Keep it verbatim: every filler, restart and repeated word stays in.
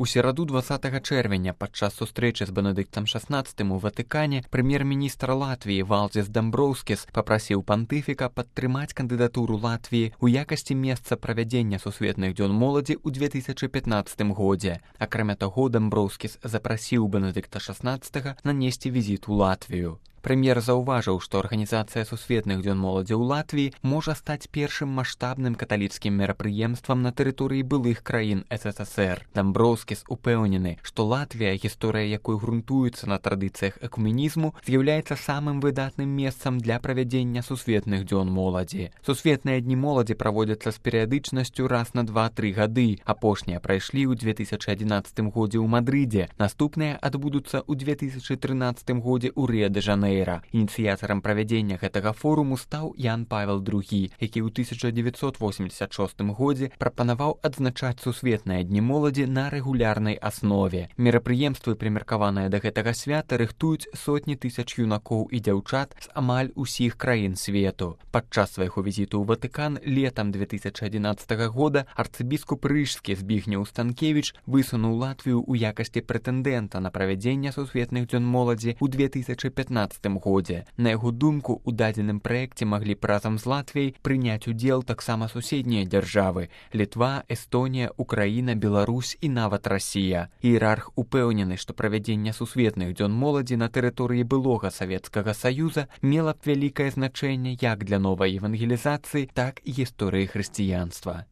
У сераду двадцатага чэрвеня падчас сустрэчы з Бенедыктам шаснаццатым у Ватыкане прэм'ер-міністр Латвіі Валдзіс Дамброўскіс папрасіў пантыфіка падтрымаць кандыдатуру Латвіі ў якасці месца правядзення сусветных дзён моладзі ў две тысячы пятнаццатым годзе. Акрамя таго, Дамброўскіс запрасіў Бенедыкта шаснаццатага нанесці візіт у Латвію. Прэм'ер заўважыў, што арганізацыя сусветных дзён моладзі ў Латвіі можа стаць першым маштабным каталіцкім мерапрыемствам на тэрыторыі былых краін эс эс эс эр. Дамброўскіс упэўнены, што Латвія, гісторыя якой грунтуецца на традыцыях экуменізму, з'яўляецца самым выдатным месцам для правядзення сусветных дзён моладзі. Сусветныя дні моладзі праводзяцца з перыядычнасцю раз на два-тры гады. Апошнія прайшлі ў две тысячы адзінаццатым годзе ў Мадрыдзе, наступныя адбудуцца ў две тысячы трынаццатым годзе ў Рыа-дэ-Жанэйра. Ініцыятарам правядзення гэтага форуму стаў Ян Павел другі, які ў тысяча дзевяцьсот восемдзесят шостым годзе прапанаваў адзначаць сусветныя дні моладзі на рэгулярнай аснове. Мерапрыемствы, прымеркаваныя да гэтага свята, рыхтуюць сотні тысяч юнакоў і дзяўчат з амаль усіх краін свету. Падчас свайго візіту ў Ватыкан летам две тысячы адзінаццатага года арцыбіскуп рыжскі Збігнеў Станкевіч высунуў Латвію ў якасці прэтэндэнта на правядзення сусветных дзён моладзі ў две тысячы пятнаццатым годзе. На яго думку, у дадзеным праекце маглі б разам з Латвіяй прыняць удзел таксама суседнія дзяржавы – Літва, Эстонія, Украіна, Беларусь і нават Расія. Іерарх упэўнены, што правядзенне сусветных дзён моладзі на тэрыторыі былога Савецкага Саюза мела б вялікае значэнне як для новай евангелізацыі, так і гісторыі хрысціянства.